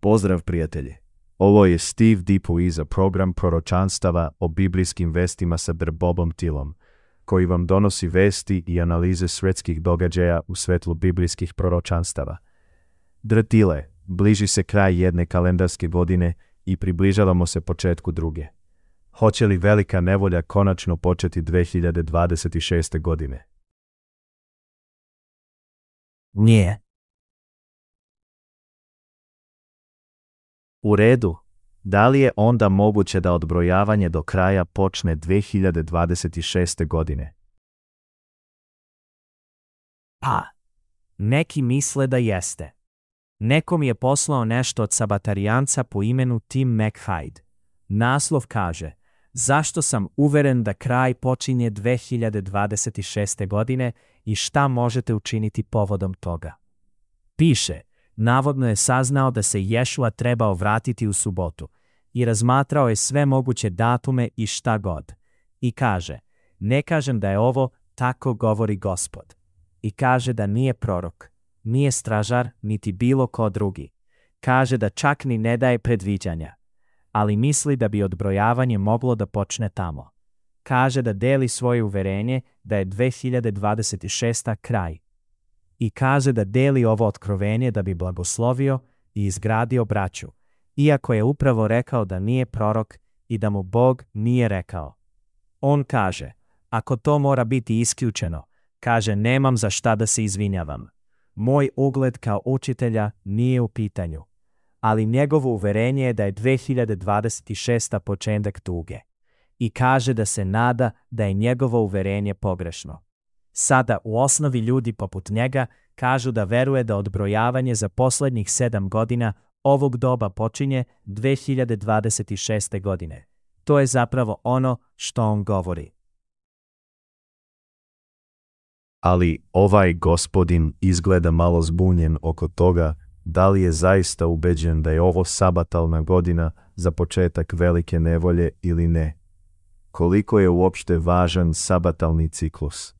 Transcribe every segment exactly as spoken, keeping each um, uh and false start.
Pozdrav prijatelji! Ovo je Steve Dipuy za program proročanstava o biblijskim vestima sa Dr. Bobom Tillom, koji vam donosi vesti i analize svjetskih događaja u svetlu biblijskih proročanstava. Dr. Tille, bliži se kraj jedne kalendarske godine i približavamo se početku druge. Hoće li velika nevolja konačno početi dve hiljade dvadeset šeste. godine? Nije. U redu. Da li je onda moguće da odbrojavanje do kraja počne dve hiljade dvadeset šeste. godine? Pa, neki misle da jeste. Neko mi je poslao nešto od sabatarijanca po imenu Tim McHide. Naslov kaže: zašto sam uveren da kraj počinje dve hiljade dvadeset šeste. godine i šta možete učiniti povodom toga. Piše, navodno je saznao da se Ješua trebao vratiti u subotu i razmatrao je sve moguće datume i šta god. I kaže, ne kažem da je ovo tako govori Gospod. I kaže da nije prorok, nije stražar, niti bilo ko drugi. Kaže da čak ni ne daje predviđanja, ali misli da bi odbrojavanje moglo da počne tamo. Kaže da deli svoje uverenje da je dve hiljade dvadeset šesta. kraj. I kaže da deli ovo otkrovenje da bi blagoslovio i izgradio braću, iako je upravo rekao da nije prorok i da mu Bog nije rekao. On kaže, ako to mora biti isključeno, kaže nemam za šta da se izvinjavam. Moj ugled kao učitelja nije u pitanju, ali njegovo uverenje je da je dve hiljade dvadeset šesta. početak tuge. I kaže da se nada da je njegovo uverenje pogrešno. Sada u osnovi ljudi poput njega kažu da veruje da odbrojavanje za posljednjih sedam godina ovog doba počinje dve hiljade dvadeset šeste. godine. To je zapravo ono što on govori. Ali ovaj gospodin izgleda malo zbunjen oko toga da li je zaista ubeđen da je ovo sabatalna godina za početak velike nevolje ili ne. Koliko je uopšte važan sabatalni ciklus?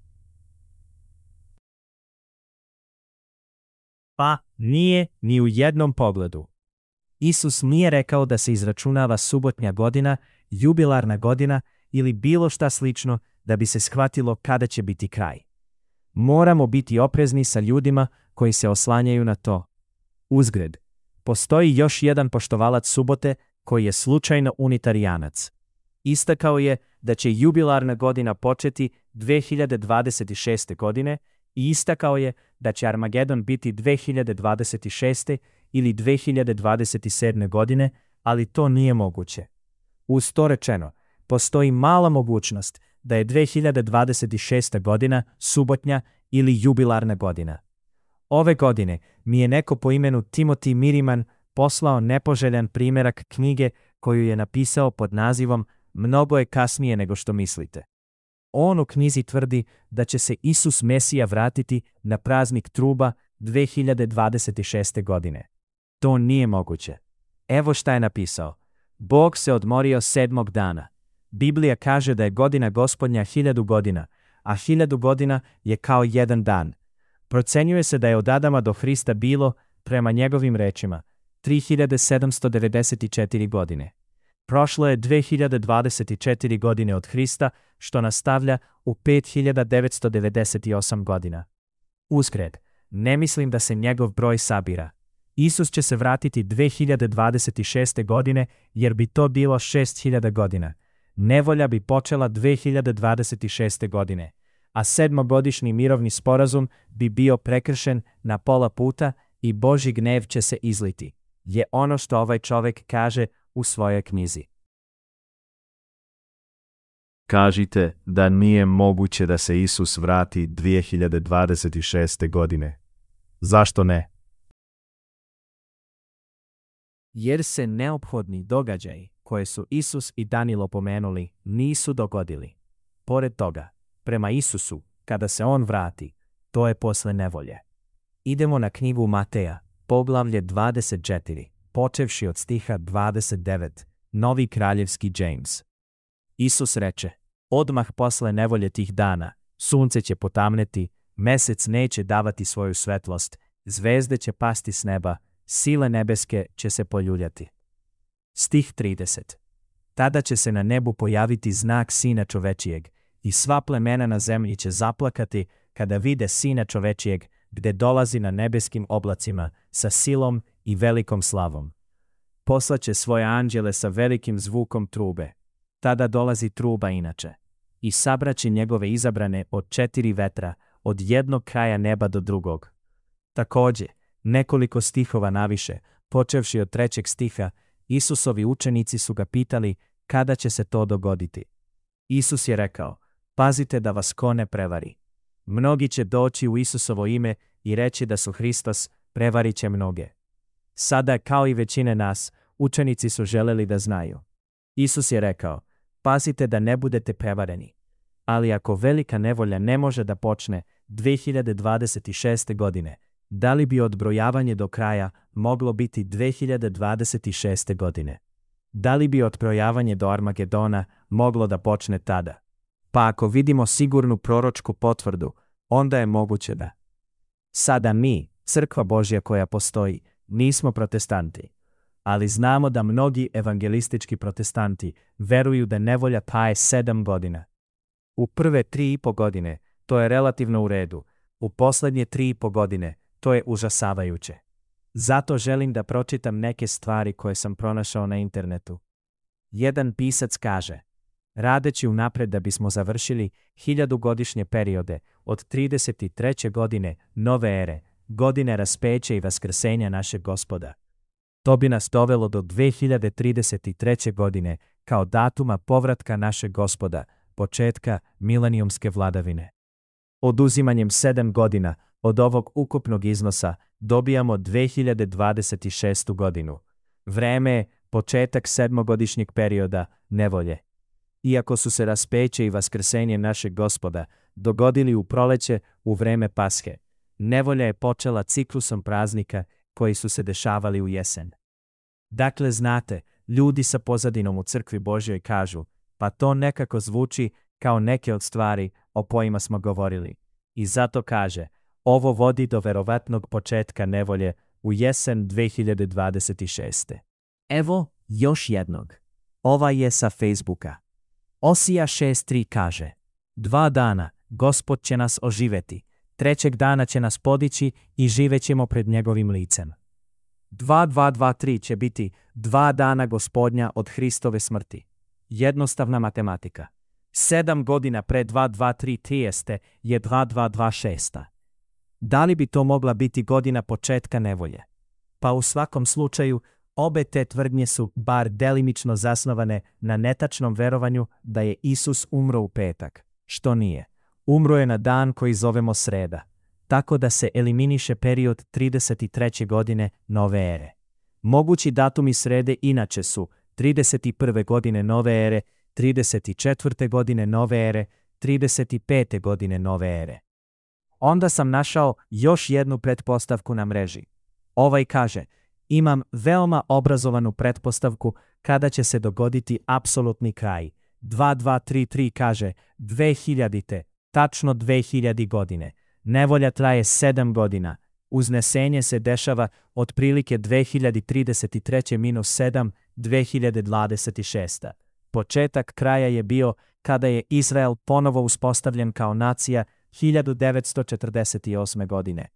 Pa, nije ni u jednom pogledu. Isus nije rekao da se izračunava subotnja godina, jubilarna godina ili bilo šta slično da bi se shvatilo kada će biti kraj. Moramo biti oprezni sa ljudima koji se oslanjaju na to. Uzgred, postoji još jedan poštovalac subote koji je slučajno unitarijanac. Istakao je da će jubilarna godina početi dve hiljade dvadeset šeste. godine i istakao je da će Armagedon biti dve hiljade dvadeset šeste. ili dve hiljade dvadeset sedme. godine, ali to nije moguće. Uz to rečeno, postoji mala mogućnost da je dve hiljade dvadeset šesta. godina subotnja ili jubilarna godina. Ove godine mi je neko po imenu Timothy Miriman poslao nepoželjan primjerak knjige koju je napisao pod nazivom Mnogo je kasnije nego što mislite. On u knjizi tvrdi da će se Isus Mesija vratiti na praznik truba dve hiljade dvadeset šeste. godine. To nije moguće. Evo šta je napisao. Bog se odmorio sedmog dana. Biblija kaže da je godina Gospodnja hiljadu godina, a hiljadu godina je kao jedan dan. Procenjuje se da je od Adama do Hrista bilo, prema njegovim rečima, tri hiljade sedamsto devedeset četiri. godine. Prošlo je dve hiljade dvadeset četiri. godine od Hrista, što nastavlja u pet hiljada devetsto devedeset osam. godina. Uzgred, ne mislim da se njegov broj sabira. Isus će se vratiti dve hiljade dvadeset šeste. godine jer bi to bilo šest hiljada godina. Nevolja bi počela dve hiljade dvadeset šeste. godine, a sedmogodišnji mirovni sporazum bi bio prekršen na pola puta i Božji gnev će se izliti, je ono što ovaj čovjek kaže u svojoj knjizi. Kažite da nije moguće da se Isus vrati dve hiljade dvadeset šeste. godine. Zašto ne? Jer se neophodni događaji koje su Isus i Danilo pomenuli nisu dogodili. Pored toga, prema Isusu, kada se on vrati, to je posle nevolje. Idemo na knjigu Mateja, poglavlje dvadeset četiri, počevši od stiha dvadeset devet, Novi kraljevski James. Isus reče, odmah posle nevolje tih dana, sunce će potamneti, mesec neće davati svoju svetlost, zvezde će pasti s neba, sile nebeske će se poljuljati. Stih trideset. Tada će se na nebu pojaviti znak Sina čovečijeg i sva plemena na zemlji će zaplakati kada vide Sina čovečijeg gde dolazi na nebeskim oblacima sa silom i velikom slavom. Poslaće svoje anđele sa velikim zvukom trube. Tada dolazi truba inače. I sabraće njegove izabrane od četiri vetra, od jednog kraja neba do drugog. Takođe, nekoliko stihova naviše, počevši od trećeg stiha, Isusovi učenici su ga pitali kada će se to dogoditi. Isus je rekao, pazite da vas ko ne prevari. Mnogi će doći u Isusovo ime i reći da su Hristos, prevarit će mnoge. Sada, kao i većine nas, učenici su želeli da znaju. Isus je rekao, pazite da ne budete prevareni. Ali ako velika nevolja ne može da počne dve hiljade dvadeset šeste. godine, da li bi odbrojavanje do kraja moglo biti dve hiljade dvadeset šeste. godine? Da li bi odbrojavanje do Armagedona moglo da počne tada? Pa ako vidimo sigurnu proročku potvrdu, onda je moguće da. Sada mi, crkva Božja koja postoji, nismo protestanti. Ali znamo da mnogi evangelistički protestanti veruju da nevolja traje sedam godina. U prve tri i po godine to je relativno u redu, u poslednje tri i po godine to je užasavajuće. Zato želim da pročitam neke stvari koje sam pronašao na internetu. Jedan pisac kaže, radeći unapred da bismo završili hiljadugodišnje periode od trideset treće. godine nove ere, godine raspeća i vaskrsenja našeg Gospoda. To bi nas dovelo do dve hiljade trideset treće. godine kao datuma povratka našeg Gospoda, početka milenijumske vladavine. Oduzimanjem sedam godina od ovog ukupnog iznosa dobijamo dve hiljade dvadeset šestu. godinu. Vreme je početak sedmogodišnjeg perioda nevolje. Iako su se raspeće i vaskrsenje našeg Gospoda dogodili u proleće u vreme Pashe, nevolja je počela ciklusom praznika koji su se dešavali u jesen. Dakle, znate, ljudi sa pozadinom u crkvi Božjoj kažu, pa to nekako zvuči kao neke od stvari o kojima smo govorili. I zato kaže, ovo vodi do verovatnog početka nevolje u jesen dve hiljade dvadeset šeste. Evo još jednog. Ova je sa Facebooka. Osija šest tri kaže, dva dana Gospod će nas oživeti, trećeg dana će nas podići i živećemo pred njegovim licem. dva dva dva tri će biti dva dana Gospodnja od Hristove smrti. Jednostavna matematika. Sedam godina pre dva dva tri trijeste je dva dva dva šest. Da li bi to mogla biti godina početka nevolje? Pa u svakom slučaju, obe te tvrdnje su bar delimično zasnovane na netačnom verovanju da je Isus umro u petak, što nije. Umro je na dan koji zovemo sreda, tako da se eliminiše period trideset treće. godine nove ere. Mogući datumi srede inače su trideset prve. godine nove ere, trideset četvrte. godine nove ere, trideset pete. godine nove ere. Onda sam našao još jednu pretpostavku na mreži. Ovaj kaže, imam veoma obrazovanu pretpostavku kada će se dogoditi apsolutni kraj. dva dva tri tri kaže dve hiljadite, tačno dve hiljade godine. Nevolja traje sedam godina. Uznesenje se dešava otprilike dve hiljade trideset treće minus sedam, dve hiljade dvadeset šeste. Početak kraja je bio kada je Izrael ponovo uspostavljen kao nacija hiljadu devetsto četrdeset osme. godine.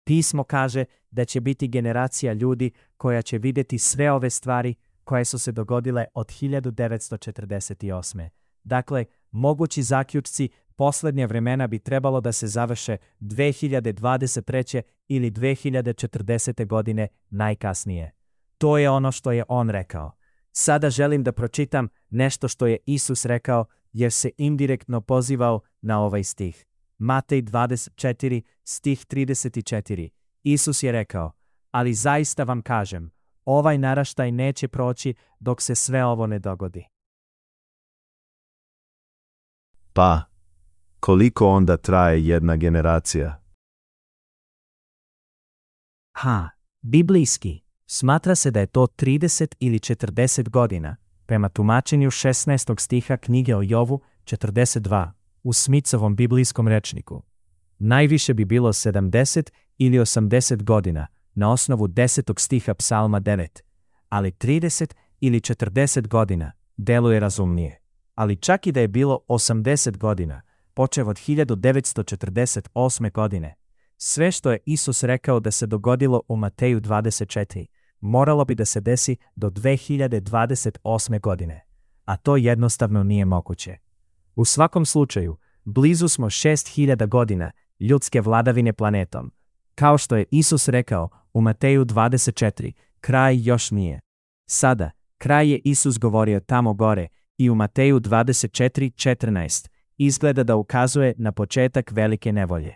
Pismo kaže da će biti generacija ljudi koja će vidjeti sve ove stvari koje su se dogodile od hiljadu devetsto četrdeset osme. Dakle, mogući zaključci posljednje vremena bi trebalo da se završe dve hiljade dvadeset treće. ili dve hiljade četrdesete. godine najkasnije. To je ono što je on rekao. Sada želim da pročitam nešto što je Isus rekao jer se indirektno pozivao na ovaj stih. Matej dvadeset četiri, stih trideset četiri. Isus je rekao, ali zaista vam kažem, ovaj naraštaj neće proći dok se sve ovo ne dogodi. Pa, koliko onda traje jedna generacija? Ha, biblijski. Smatra se da je to trideset ili četrdeset godina, prema tumačenju šesnaestog stiha knjige o Jovu četrdeset dva, u Smithovom biblijskom rečniku. Najviše bi bilo sedamdeset ili osamdeset godina, na osnovu desetog stiha Psalma devet, ali trideset ili četrdeset godina deluje razumnije. Ali čak i da je bilo osamdeset godina, počev od hiljadu devetsto četrdeset osme. godine, sve što je Isus rekao da se dogodilo u Mateju dvadeset četiri, moralo bi da se desi do dve hiljade dvadeset osme. godine, a to jednostavno nije moguće. U svakom slučaju, blizu smo šest hiljada godina ljudske vladavine planetom. Kao što je Isus rekao u Mateju dvadeset četiri, kraj još nije. Sada, kraj je Isus govorio tamo gore i u Mateju dvadeset četiri četrnaest izgleda da ukazuje na početak velike nevolje.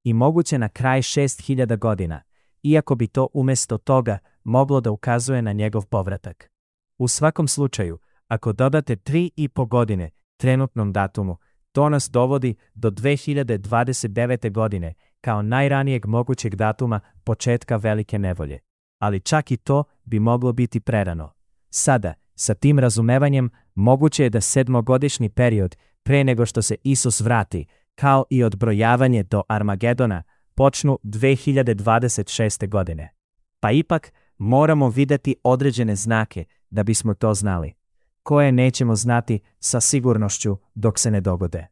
I moguće na kraj šest hiljada godina, iako bi to umjesto toga moglo da ukazuje na njegov povratak. U svakom slučaju, ako dodate tri i po godine trenutnom datumu, to nas dovodi do dve hiljade dvadeset devete. godine kao najranijeg mogućeg datuma početka velike nevolje. Ali čak i to bi moglo biti prerano. Sada, sa tim razumevanjem, moguće je da sedmogodišnji period pre nego što se Isus vrati, kao i odbrojavanje do Armagedona, počnu dve hiljade dvadeset šeste. godine. Pa ipak, moramo videti određene znake da bismo to znali, koje nećemo znati sa sigurnošću dok se ne dogode.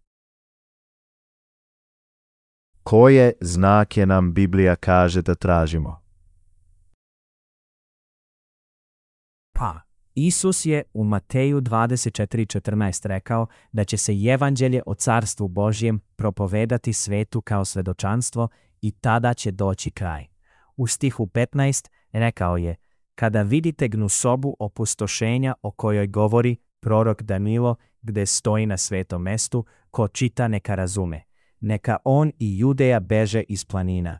Koje znake nam Biblija kaže da tražimo? Pa, Isus je u Mateju dvadeset četiri četrnaest rekao da će se evanđelje o carstvu Božjem propovedati svetu kao svedočanstvo i tada će doći kraj. U stihu petnaest rekao je: kada vidite gnusobu opustošenja o kojoj govori prorok Danilo, gde stoji na svetom mestu, ko čita neka razume. Neka on i Judeja beže iz planina.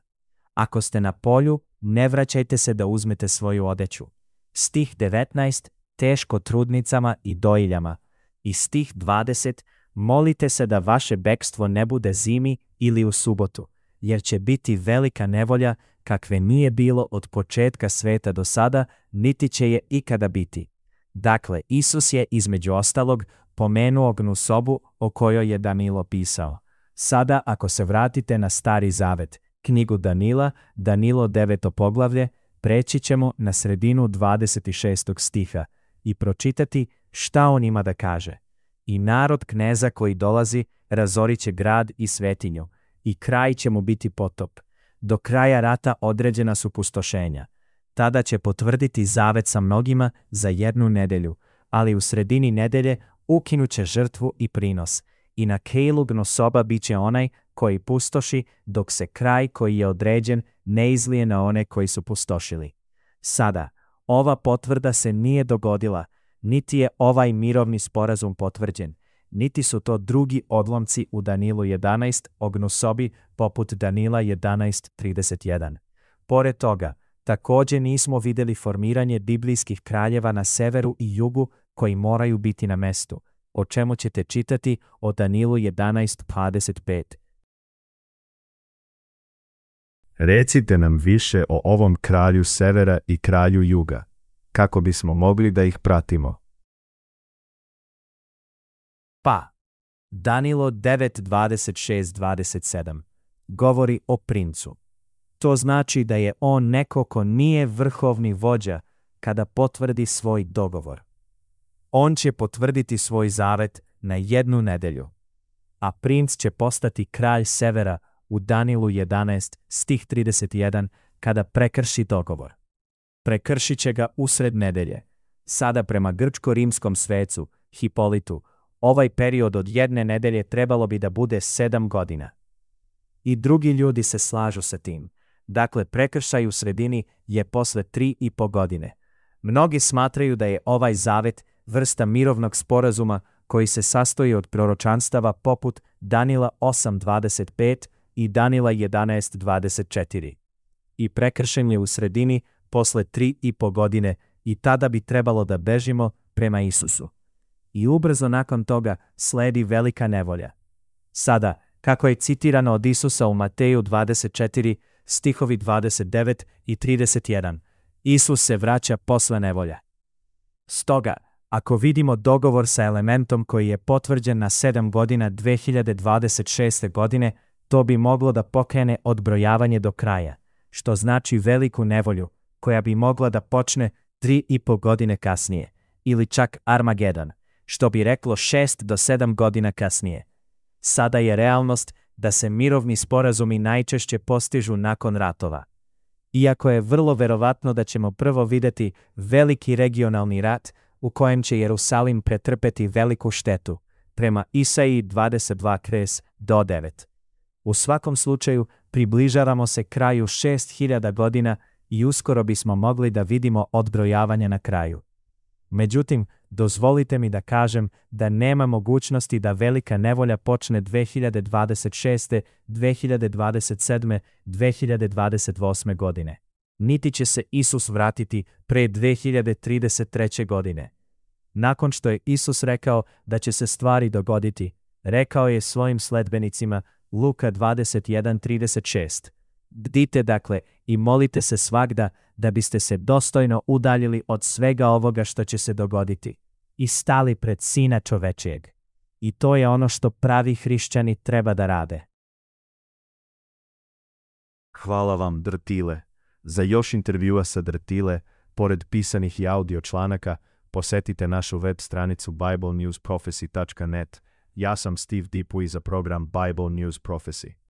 Ako ste na polju, ne vraćajte se da uzmete svoju odeću. Stih devetnaest, teško trudnicama i dojiljama. I stih dvadeset, molite se da vaše bekstvo ne bude zimi ili u subotu, jer će biti velika nevolja kakve nije bilo od početka sveta do sada, niti će je ikada biti. Dakle, Isus je između ostalog pomenuo gnusobu o kojoj je Danilo pisao. Sada, ako se vratite na Stari Zavet, knjigu Danila, Danilo deveto poglavlje, preći ćemo na sredinu dvadeset šestog stiha i pročitati šta on ima da kaže. I narod kneza koji dolazi razorit će grad i svetinju, i kraj će mu biti potop. Do kraja rata određena su pustošenja. Tada će potvrditi zavet sa mnogima za jednu nedelju, ali u sredini nedelje ukinuće žrtvu i prinos. I na kejlu gnosoba bit će onaj koji pustoši, dok se kraj koji je određen ne izlije na one koji su pustošili. Sada, ova potvrda se nije dogodila, niti je ovaj mirovni sporazum potvrđen, niti su to drugi odlomci u Danilu jedanaest o gnusobi poput Danila jedanaest trideset jedan. Pored toga, također nismo vidjeli formiranje biblijskih kraljeva na severu i jugu koji moraju biti na mestu, o čemu ćete čitati o Danilu jedanaest dvadeset pet. Recite nam više o ovom kralju severa i kralju juga, kako bismo mogli da ih pratimo. Pa, Danilo devet dvadeset šest dvadeset sedam govori o princu. To znači da je on neko ko nije vrhovni vođa kada potvrdi svoj dogovor. On će potvrditi svoj zavet na jednu nedelju, a princ će postati kralj severa u Danilu jedanaest stih trideset jedan kada prekrši dogovor. Prekršit će ga usred nedelje. Sada prema grčko-rimskom svecu, Hipolitu, ovaj period od jedne nedelje trebalo bi da bude sedam godina. I drugi ljudi se slažu sa tim. Dakle, prekršaj u sredini je posle tri i po godine. Mnogi smatraju da je ovaj zavet vrsta mirovnog sporazuma koji se sastoji od proročanstava poput Danila osam dvadeset pet i Danila jedanaest dvadeset četiri. I prekršen je u sredini posle tri i po godine i tada bi trebalo da bežimo prema Isusu. I ubrzo nakon toga sledi velika nevolja. Sada, kako je citirano od Isusa u Mateju dvadeset četiri, stihovi dvadeset devet i trideset jedan, Isus se vraća posle nevolja. Stoga, ako vidimo dogovor sa elementom koji je potvrđen na sedam godina dve hiljade dvadeset šeste. godine, to bi moglo da pokrene odbrojavanje do kraja. što znači veliku nevolju, koja bi mogla da počne tri i po godine kasnije, ili čak Armagedon, što bi reklo šest do sedam godina kasnije. Sada je realnost da se mirovni sporazumi najčešće postižu nakon ratova. Iako je vrlo verovatno da ćemo prvo videti veliki regionalni rat u kojem će Jerusalim pretrpeti veliku štetu, prema Isaiji dvadeset dva do devet. U svakom slučaju, približavamo se kraju šest hiljada godina i uskoro bismo mogli da vidimo odbrojavanje na kraju. Međutim, dozvolite mi da kažem da nema mogućnosti da velika nevolja počne dve hiljade dvadeset šeste, dve hiljade dvadeset sedme, dve hiljade dvadeset osme godine. Niti će se Isus vratiti pre dve hiljade trideset treće godine. Nakon što je Isus rekao da će se stvari dogoditi, rekao je svojim sledbenicima Luka dvadeset jedan trideset šest. Bdite dakle i molite se svagda da biste se dostojno udaljili od svega ovoga što će se dogoditi i stali pred Sina čovečijeg. I to je ono što pravi hrišćani treba da rade. Hvala vam, Drtile. Za još intervjua sa Drtile, pored pisanih i audio članaka, posetite našu web stranicu bible news prophecy dot net. Ja sam Steve Dipuy za program Bible News Prophecy.